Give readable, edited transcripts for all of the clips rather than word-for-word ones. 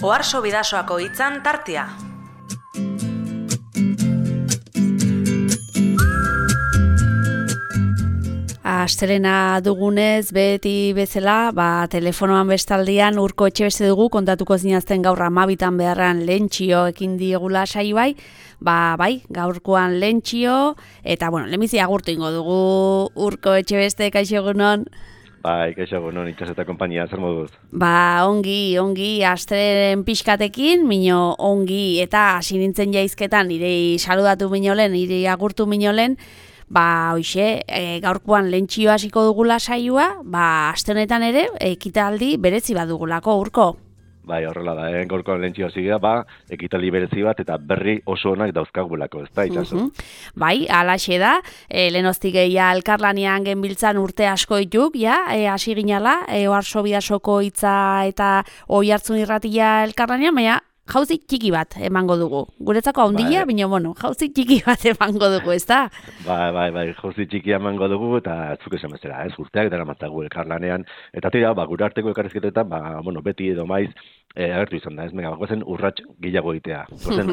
Oharso Bidasoako hitzan tartea. Astelena dugunez, beti bezala, telefonoan bestaldian Urko Etxebeste dugu, kontatuko zinazten gaur 12 beharran lentsio ekin diegula saioai, bai, gaurkoan lentsio, eta, lehenbizi agurtu ingo dugu Urko Etxebeste, kaixo egunon. Bai, kaixo egunon, itxas eta konpainia, zer moduz? Ongi, astelenen pixkatekin, mino ongi, eta hasi nintzen jaizketan, nire saludatu minolen, nire agurtu minolen, hoxe, gaurkoan lentsio hasiko dugula saioa, aste honetan ere, ekitaldi berezi bat dugulako, Urko. Bai, horrela da, gaurkoan lentsio hasi da, ekitaldi berezi bat eta berri oso onak dauzkagulako, ez da, itxaso? Bai, alaxe da, lehenoztik ja elkarlanean genbiltzan urte asko dituk, hasi ginala, Oharso Bidasoko hitza eta Oihartzun irratia elkarlanean, baina jauzi txiki bat emango dugu. Guretzako handia, baina, jauzi txiki bat emango dugu, ez da? Bai, jauzi txiki emango dugu, eta zuk esan bezala, urteak dara matzagu elkarlanean, eta tira, gure arteko elkarrizketetan, beti edo maiz, agertu izan da, bagozen urrats gehiago egitea,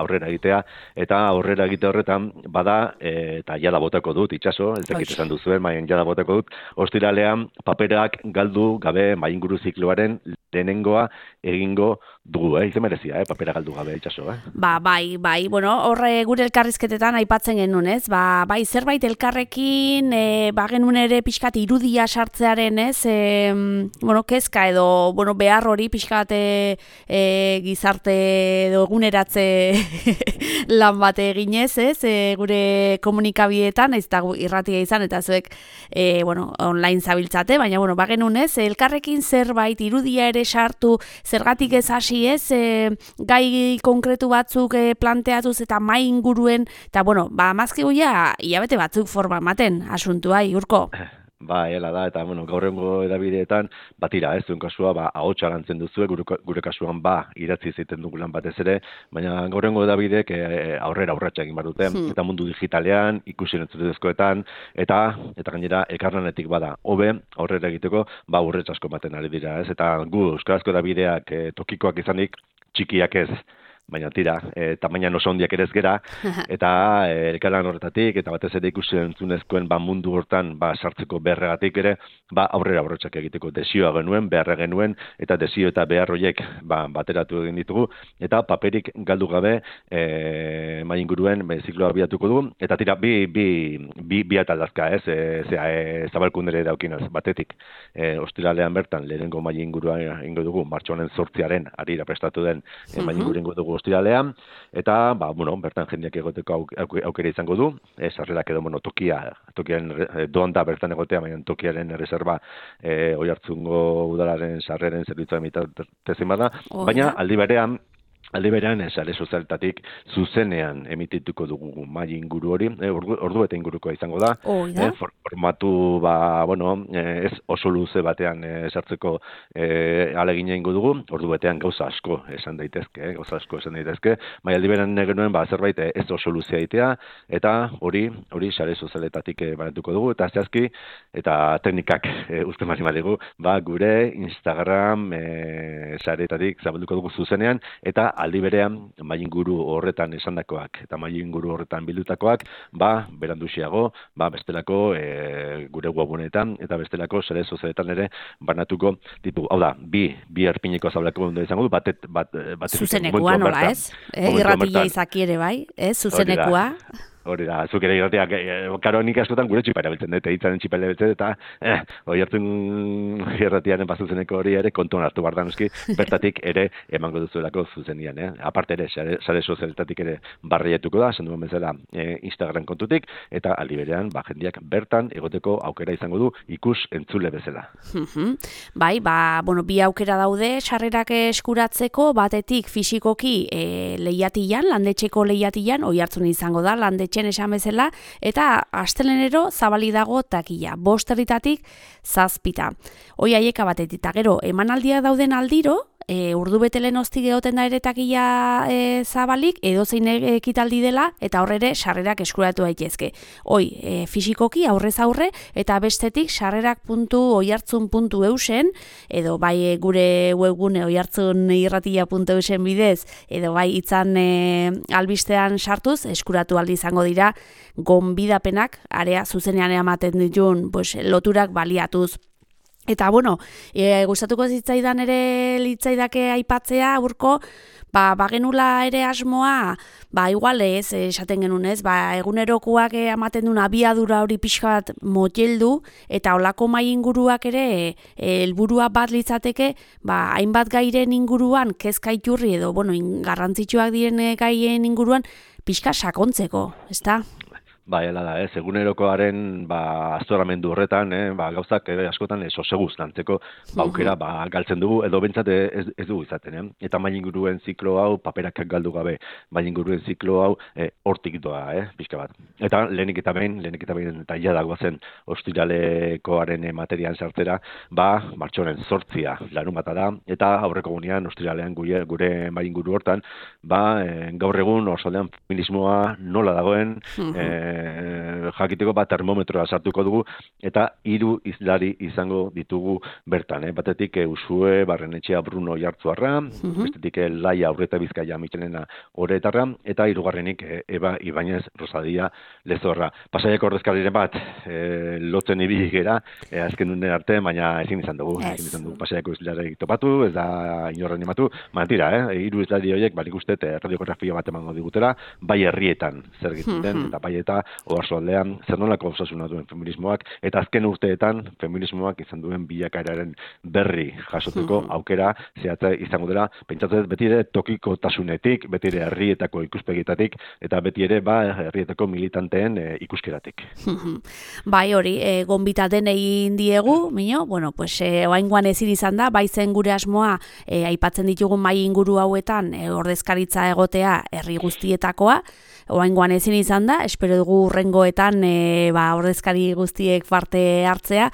aurrera egitea, eta aurrera egite horretan, eta jada botako dut, itxaso, ez dakit esan duzuen, jada botako dut, ostiralean paperak galdu gabe mainguru zikloaren lehenengoa egingo dugu, izen merezia, papera galdu gabe, itxaso, Bai, horre gure elkarrizketetan aipatzen genuen, ez? Bai, zerbait elkarrekin, genuen ere pixkat irudia sartzearen, ez? Kezka edo, behar hori pixkat gizarte edo eguneratze lan bate eginez, ez? Gure komunikabideetan, ez da irratia izan, eta zuek, online zabiltzate, baina, genuen, ez? Elkarrekin zerbait irudia ere sartu, zergatik ez hasi, ez? Gai konkretu batzuk planteatuz eta mai inguruen, eta, mazkigu hilabete batzuk forma ematen, asuntua, Urko. Bai, hela da, eta, gaurrengo edabideetan, batira, zuen kasua, ahotsa lantzen duzue, gure kasuan, idatzi zeiten dugulan batez ere, baina gaurrengo edabideek aurrera urratsa egin behar dute, eta mundu digitalean, ikusi entzutezkoetan, eta gainera, elkarlanetik hobe, aurrera egiteko, urrets asko ematen ari dira, ez? Eta gu, euskarazko edabideak tokikoak izanik, txikiak ez, baina tira, tamaina oso handiak ere ez gera, eta elkarlan horretatik, eta batez ere ikusi entzunezkoen mundu hortan sartzeko beharregatik ere, aurrera urratsak egiteko desioa genuen, beharra genuen, eta desio eta behar horiek bateratu egin ditugu, eta paperik galdu gabe mai inguruen zikloa abiatuko du, eta tira, bi ataldazka, zabalkundere daukinaz, batetik, ostiralean bertan, lehenengo mai ingurua ingo dugu, martxoaren 8 arira prestatu den mai inguru ingo dugu ostiralean, eta, bertan jendeak egoteko aukera izango du, sarrerak edo, tokian doan da bertan egotea, baina tokiaren erreserba Oihartzungo udalaren sarreren zerbitzua emitazten bada, baina aldi berean, sare sozialetatik zuzenean emitituko dugu mai inguru hori, ordu eta ingurukoa izango da, formatu, ez oso luze batean sartzeko alegina ingo dugu, ordu betean gauza asko esan daitezke, bai aldi berean genuen, zerbait ez oso luzea egitea, eta hori sare sozialetatik banatuko dugu, eta zehazki, eta teknikak uste marimadigu, gure Instagram saretatik zabalduko dugu zuzenean, eta aldi berean, mai inguru horretan esandakoak eta mai inguru horretan bildutakoak, beranduxiago, bestelako gure webunetan eta bestelako sare sozialetan ere banatuko ditugu. Hau da, bi erpineko zabalako izango du, zuzenekua nola ez? Irratia izaki ere bai, zuzenekua. Hori da, zuk ere irratiak, karo nik askotan gure txipara biltzen dut, hitzaren txipara biltzen dut, eta Oihartzun irratiaren zuzeneko hori ere kontuan hartu behar da noski, bertatik ere emango duzuelako zuzenian. Aparte ere, sare sozialetatik ere barrietuko da, esan duen bezala Instagram kontutik, eta aldi berean, jendeak bertan egoteko aukera izango du ikus entzule bezala. Bai, bi aukera daude, sarrerak eskuratzeko, batetik fisikoki lehiatian, landetxeko lehiatian, Oihartzun izango da, landetxe esan bezala, eta astelenero zabali dago takia, 5 herritatik 7. Hoi haieka batetik, eta gero, emanaldia dauden aldiro, urdu betelen hoztik egoten da ere taquilla zabalik, edozein ekitaldi dela, eta horre sarrerak eskuratu daitezke. Fisikoki aurrez aurre, eta bestetik sarrerak.oihartzun.eusen, edo bai gure webgune oihartzunirratia.eusen bidez, edo bai itzan albistean sartuz, eskuratu aldi izango dira gonbidapenak, area zuzenean ematen ditun loturak baliatuz. Eta, gustatuko zitzaidan ere litzaidake aipatzea, Urko, bagenula ere asmoa, igual ez, esaten genuen ez, egunerokoak ematen duen abiadura hori pixka bat moteldu, eta olako mai inguruak ere, helburua bat litzateke, hainbat gairen inguruan, kezka iturri edo, garrantzitsuak diren gaien inguruan, pixka sakontzeko, ezta? Hala da, egunerokoaren aztoramendu horretan, gauzak askotan soseguz lantzeko aukera galtzen dugu, edo bentsat ez dugu izaten. Eta mailinguruen ziklo hau paperak galdu gabe, mailinguruen ziklo hau hortik doa, pixka bat. Eta lehenik eta behin, eta jadagoa zen ostiralekoaren materian sartzera, martxoaren 8 larun bata da, eta aurreko gunean ostiralean gure mailinguru hortan, gaur egun osoldean feminismoa nola dagoen, jakiteko termometroa sartuko dugu, eta 3 hizlari izango ditugu bertan. Batetik Usue Barrenetxea Bruno Oiartzuarra, bestetik Laia Aurreta Bizkaia Michelena Oretarra, eta 3. Eba Ibañez Rosadia Lezorra. Pasaiako ordezkariren bat lotzen ibili gera, azken unen arte, baina ezin izan dugu. Pasaiako hizlari topatu, ez da inorren ematu, tira, 3 hizlari horiek, nik uste radiografia bat emango digutela, bai herrietan zer egiten den, eta bai eta oarsoaldean zer nolako osasuna duen feminismoak, eta azken urteetan feminismoak izan duen bilakaeraren berri jasoteko aukera zehatza izango dela, pentsatzen beti ere tokikotasunetik, beti ere herrietako ikuspegitatik, eta beti ere herrietako militanteen ikuskeratik. Bai hori, gonbitaten egin diegu, oaingoan ezin izan da, bai zen gure asmoa aipatzen ditugun mai inguru hauetan ordezkaritza egotea herri guztietakoa, oaingoan ezin izan da, espero dugu urrengoetan ordezkari guztiek parte hartzea,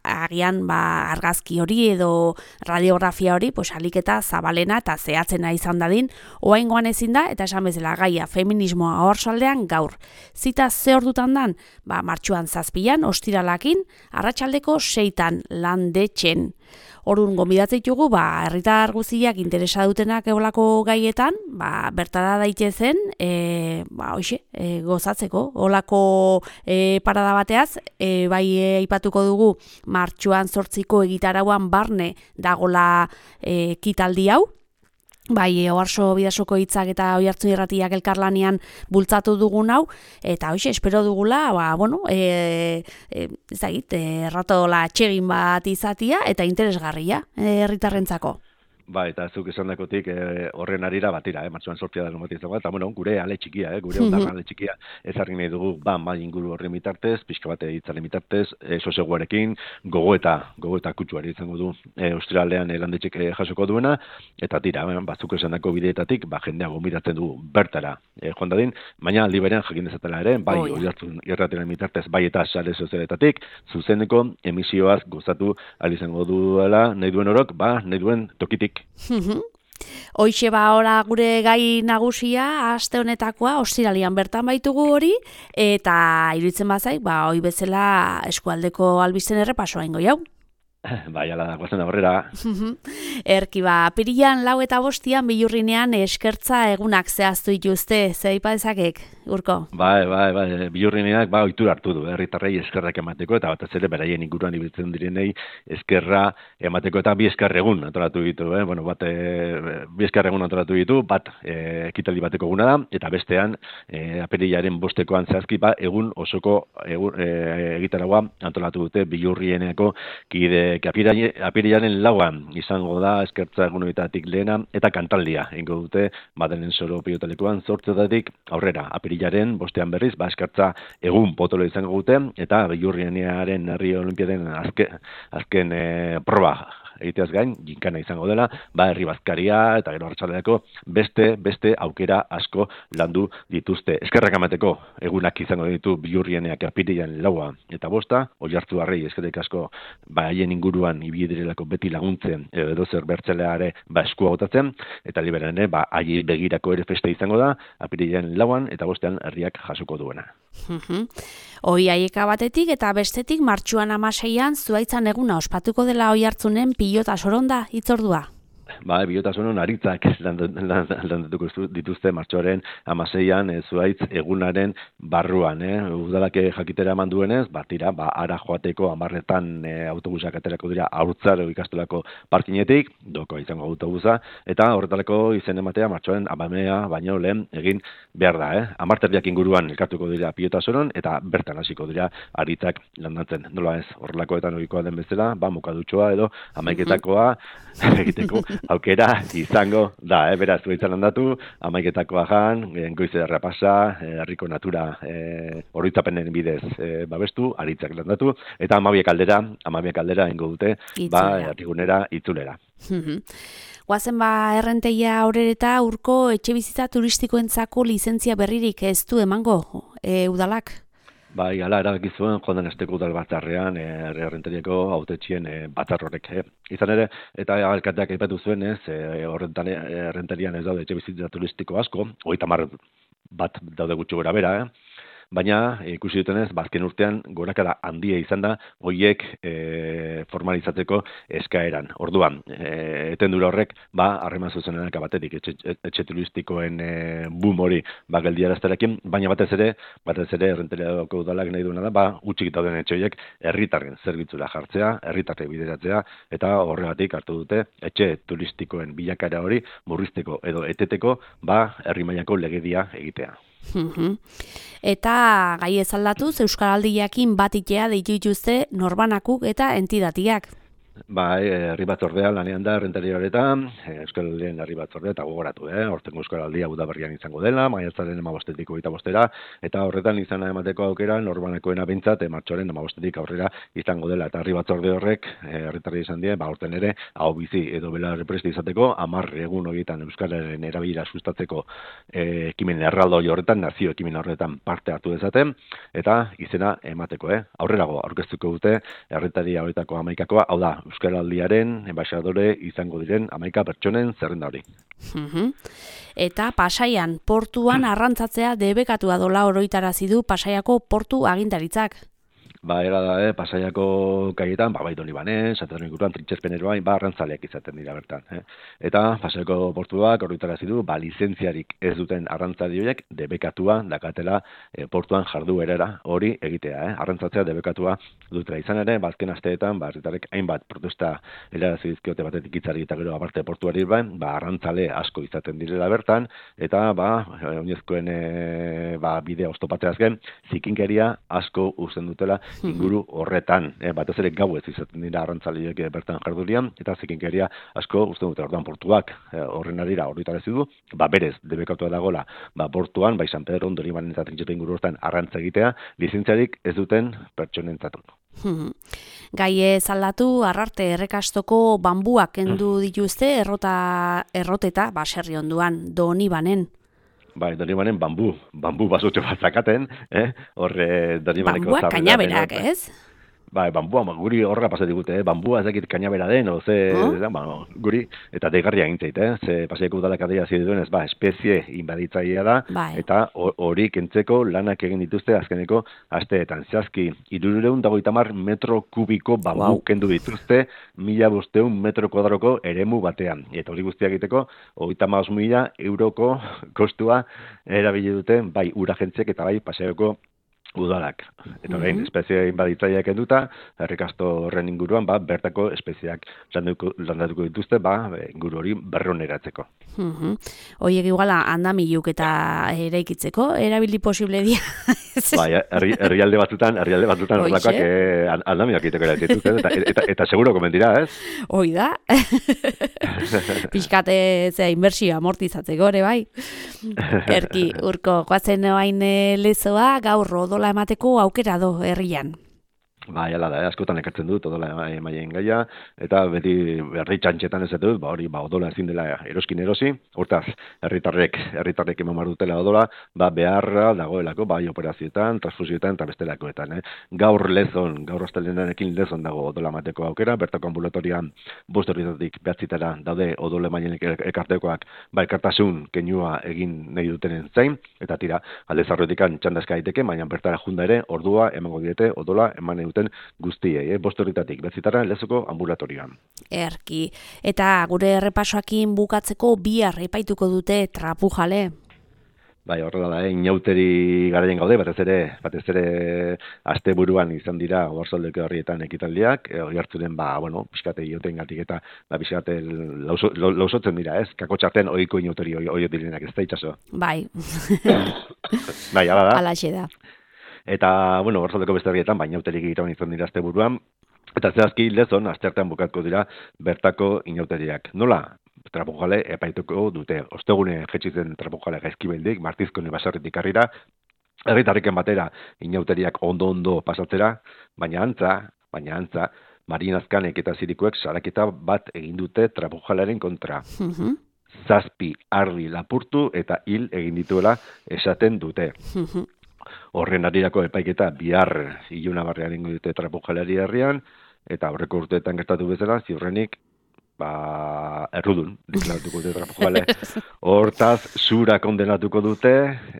agian argazki hori edo radiografia hori, aliketa zabalena eta zehatzena izan dadin, oaingoan ezin da, eta esan bezala gaia feminismoa oarsoaldean gaur. Zita ze ordutan dan? Martxoan 7 ostiralakin, arratsaldeko 6 landetxen. Orduan gonbidatzen ditugu, herritar guztiak interesa dutenak eolako gaietan, bertara daitezen, gozatzeko, olako parada bateaz, aipatuko dugu martxoan 8ko egitarauan barne dagola ekitaldi hau, Oarso Bidasoko hitzak eta Oihartzun Irratiak elkarlanean bultzatu dugun hau, eta espero dugula, erratola atsegin bat izatia eta interesgarria herritarrentzako. Eta zuk esan dakotik horren arira batira, martxoan 8 da bat izango, eta gure ale txikia, gure ondarra ale txikia ezarri nahi dugu, mai inguru horren bitartez, pixka bate hitzaren bitartez, soseguarekin, gogoeta kutsuari izango du ostiralean landetxek jasoko duena, eta tira, zuk esan dako bideetatik, jendea gonbidatzen du bertara joan dadin, baina aldi berean jakin dezatela ere, Oihartzun Irratiaren bitartez, eta sare sozialetatik, zuzeneko emisioaz gozatu ahal izango duela, nahi duen orok, nahi duen tokitik. Hoixe ora gure gai nagusia aste honetakoa ostiralean bertan baitugu hori, eta iruditzen bazaik, hoi bezala eskualdeko albisten errepasoa ingo jau. Ala da, guazen aurrera. Erki apirilean 4 eta 5 Billurrinean eskertza egunak zehaztu dituzte, ze aipa dezakek, Urko? Billurrineak ohitura hartu du, herritarrei eskerrak emateko, eta batez ere beraien inguruan ibiltzen direnei eskerra emateko, eta 2 esker egun antolatu ditu, bi esker egun antolatu ditu, bat ekitaldi bateko eguna da, eta bestean apirilaren 5koan zehazki, egun osoko egitaragua antolatu dute Billurrieneko kide apirilaren 4 izango da eskertza egunoetatik lehena, eta kantaldia ingo dute Madelen Soro Pilotalekuan 8 aurrera. Apirilaren 5 berriz, eskertza egun potolo izango dute, eta Billurrienearen herri olimpiaden azken proba egiteaz gain, ginkana izango dela, herri bazkaria eta gero arratsalderako beste aukera asko landu dituzte. Eskerrak emateko egunak izango ditu Bihurrieneak apirilean 4 eta 5, Oiartzuarrei eskerrik asko haien inguruan ibili direlako beti laguntzen edo zer bertzeleare eskua botatzen, eta liberan ere haiei begirako ere festa izango da apirilean 4 eta 5 herriak jasoko duena. Hoi haieka batetik eta bestetik martxuan 16an Zuhaitzan eguna ospatuko dela Oiartzunen pilota soronda hitzordua. Pilota soron aritzak landatuko dituzte martxoaren 16an Zuhaitz egunaren barruan. Udalak jakitera eman duenez, tira, ara joateko 10etan autobusak aterako dira Haurtzaro ikastolako parkinetik, doko izango autobusa, eta horretarako izen ematea martxoaren 10 baino lehen egin behar da. 10 inguruan elkartuko dira pilota soron, eta bertan hasiko dira aritzak landatzen. Nola ez, horrelakoetan ohikoa den bezala, mukadutxoa edo 11etakoa egiteko aukera izango da, beraz, Zuhaitzan landatu, 11etakoa jan, goize errepasa, herriko natura oroitzapenen bidez babestu, aritzak landatu, eta 12 aldera ingo dute, herrigunera itzulera. Guazen errenteia horreta urko etxebizitza turistikoentzako lizentzia berririk ez du emango udalak? Hala erabaki zuen joan den asteko udal batzarrean errenteriako hautetxien batzar horrek. Izan ere, eta alkateak aipatu zuen errenterian ez daude etxebizitza turistiko asko, 30 bat daude gutxi gora bera, baina ikusi dutenez, azken urtean gorakada handia izan da horiek formalizatzeko eskaeran. Orduan, etendura horrek, harreman zuzenenak batetik etxe turistikoen boom hori geldiarazterekin, baina batez ere errenteriako udalak nahi duena da, utxik dauden etxe horiek herritarren zerbitzura jartzea, herritarrek bideratzea, eta horregatik hartu dute etxe turistikoen bilakaera hori murrizteko edo eteteko herri mailako legedia egitea. Eta gai ez aldatuz, Euskaraldiakin batitea deitu dituzte norbanakuk eta entidatiak. Herri batzordea lanean da errentaria horretan, Euskaraldien herri batzordea eta gogoratu, hortengo Euskaraldia Udaberrian izango dela, maiatzaren 15-tik 25-era, eta horretan izana emateko aukera norbanakoena behintzat, martxoaren 15-tik aurrera izango dela, eta herri batzorde horrek, herritarri izan die, horten ere, hau bizi edo belarri presti izateko, 10 egun horietan Euskararen erabilera sustatzeko ekimen erraldoi horretan, nazio ekimen horretan parte hartu dezaten, eta izena emateko, aurrerago aurkeztuko dute herritaria horietako 11-koa, hau da, Euskaraldiaren enbaixadore izango diren 11 pertsonen zerrenda hori. Eta Pasaian portuan arrantzatzea debekatua dola oroitarazi du Pasaiako portu agintaritzak. Era da, Pasaiako kaietan, Baidoni Bane, Santander inguruan, Trintxespeneroain, arrantzaleak izaten dira bertan. Eta Pasaiako portuak horretarazi du, lizentziarik ez duten arrantzale horiek debekatua dakatela portuan jarduerara hori egitea. Arrantzatzea debekatua dutela izan ere, azken asteetan, herritarrek hainbat protesta helarazi dizkiote batetik hitzari eta gero aparte portuari arrantzale asko izaten direla bertan, eta oinezkoen bidea oztopatzeaz gen, zikinkeria asko uzten dutela inguru horretan, batez ere gauez izaten dira arrantzaleek bertan jardurian, eta zikinkeria asko uzten dute orduan portuak horren arira horretarazi du, berez debekatua dagoela portuan, San Pedro Ondoribanen eta Trintxespen inguru horretan arrantza egitea, lizentziarik ez duten pertsonentzat. Gai ez aldatu, Arrarte errekastoko bambuak kendu dituzte erroteta, baserri onduan, Donibanen. Donibanen bambu basotxo bat zakaten, Donibaneko bambuak kainaberak, ez? Bambua, guri horra pasatik gute, bambua ezakit kainabera den, guri, eta degarria gintzeit, ze Pasaiako udalak adierazi duenez, espezie inbaditzailea da, eta hori kentzeko lanak egin dituzte azkeneko asteetan. Zehazki, 350 metro kubiko bambu kendu dituzte, 1.500 metro kuadroko eremu batean. Eta hori guztia egiteko, 35.000 euroko kostua erabili dute, bai uragentziek eta bai Pasaiako udalak. Eta behin, espezie inbaditzaileak enduta, errekasto horren inguruan, bertako espeziak landatuko dituzte, inguru hori berroneratzeko. Horiek iguala andamiluk eta eraikitzeko, erabili posible dia. Herrialde batzutan horrelakoak andamiak egiteko eraitzetuz, eta seguro komendira, ez? Hoi da. Pixkate inbertsioa amortizatzeko, ere bai. Erki, urko, goazen oain lezoa, gaur odola emateko aukera do herrian. Bai, ala da, askotan ekartzen dut odola emaien gaia, eta beti herri txantxetan ez dut, hori odola ezin dela eroskin erosi, hortaz, herritarrek eman behar dutela odola, beharra dagoelako, bai operazioetan, transfusioetan eta bestelakoetan. Gaur astelenarekin lezon dago odola mateko aukera, bertako ambulatorian 5 herritatik 9 daude odola emaien ekartekoak, elkartasun keinua egin nahi dutenen zain, eta tira, alde zarroetikan txandazka daiteke, baina bertara junda ere, ordua emango diete odola eman guztiei, 5 herritatik 9 Lezoko ambulatorioan. Erki, eta gure errepasoakin bukatzeko bihar epaituko dute Trapujale. Bai, horrela da, inauteri garaien gaude, batez ere asteburuan izan dira Oarsoaldeko herrietan ekitaldiak, oihartzunen, pixkate iotengatik eta pixkate lausotzen dira, ez? Kakotxartean ohiko inauteri oio direnak, ez da itxaso? Bai. Bai, ala da. Alaxe da. Eta, Oarsoaldeko beste herrietan, inauterik egiten izan dira asteburuan, eta zehazki Lezon, asteartean bukatuko dira bertako inauteriak. Nola? Trapujale epaituko dute. Ostegune jetxitzen Trapujale gaizkibeldik, Martizkone baserritik harrira, herritarriken batera inauteriak ondo pasatzera, baina antza, Marinazkanek eta Zirikuek saraketa bat egin dute Trapujalearen kontra. 7 ardi lapurtu eta hil egin dituela esaten dute. Horren arirako epaiketa bihar ilunabarrean ingo dute Trapujaleari herrian, eta aurreko urteetan gertatu bezala, ziurrenik, errudun, deklaratuko dute Trapujale. Hortaz, zura kondenatuko dute,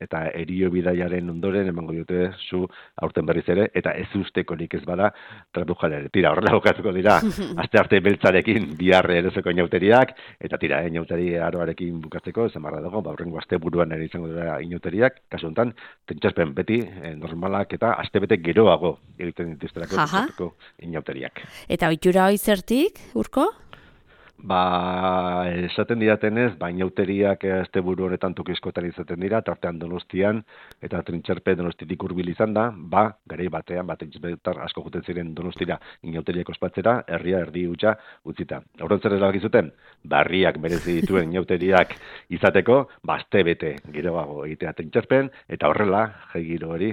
eta erio bidaiaren ondoren emango dute zu aurten berriz ere, eta ez ustekorik ez bada Trapujale. Tira, horrela bukatuko dira, astearte beltzarekin bihar erezeko inauteriak, eta tira, inauteri aroarekin bukatzeko, esan barra dago, aurrengo asteburuan ere izango dira inauteriak, kasu honetan, tentsaspen beti normalak eta astebete geroago egiten dituzterako inauteriak. Eta ohitura hoi zertik, Urko? Esaten didatenez, inauteriak asteburu honetan tokizkoetan izaten dira, tartean Donostian, eta Trintxerpe Donostitik hurbil izan da, garai batean, Trintxerpetar asko juten ziren Donostira inauteriak ospatzera, herria erdi hutsa utzita. Horren zer erabakizuten, herriak merezi dituen inauteriak izateko, astebete geroago egitea Trintxerpen, eta horrela, jai giro hori,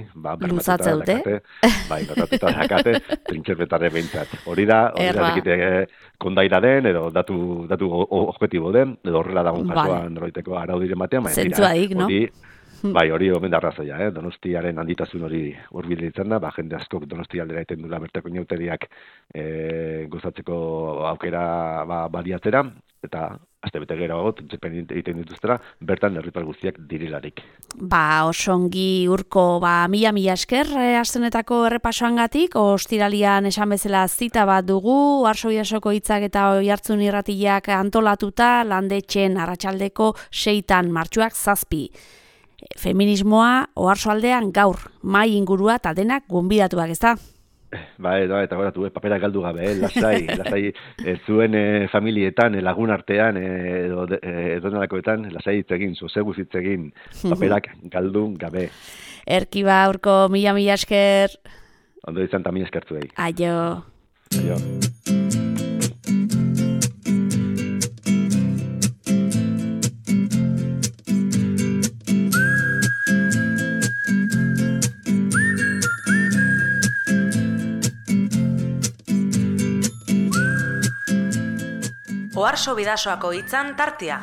luzatze dute? Bermatuta dakate, Trintxerpetare behintzat. Hori da egite kondaira den, edo datu objektibo den, edo horrela dagoen kasuan noroiteko araudiren batean, zentzuadik, no? Hori omen da arrazoia, Donostiaren handitasun hori hurbil izan da, jende askok Donostia aldera egiten dula bertako inauteriak gozatzeko aukera baliatzera, eta astebete geroago egiten dituztera, bertan herritar guztiak direlarik. Osongi Urko, mila esker astenetako errepasoangatik, ostiralian esan bezala zita bat dugu, Oarsoaldeko hitzak eta Oihartzun irratiak antolatuta, Landetxen arratsaldeko 6 martxoak 7. Feminismoa Oarsoaldean gaur, mahai ingurua eta denak gonbidatuak, ezta? Eta goratu, papera galdu gabe, lasai, zuen familietan, lagun artean, edo nolakoetan, lasai hitzegin, soseguz hitzegin, paperak galdu gabe. Erki Urko, mila esker. Ondo izan eta mila eskertu egin. Aio. Oarso Bidasoako hitzan tartea.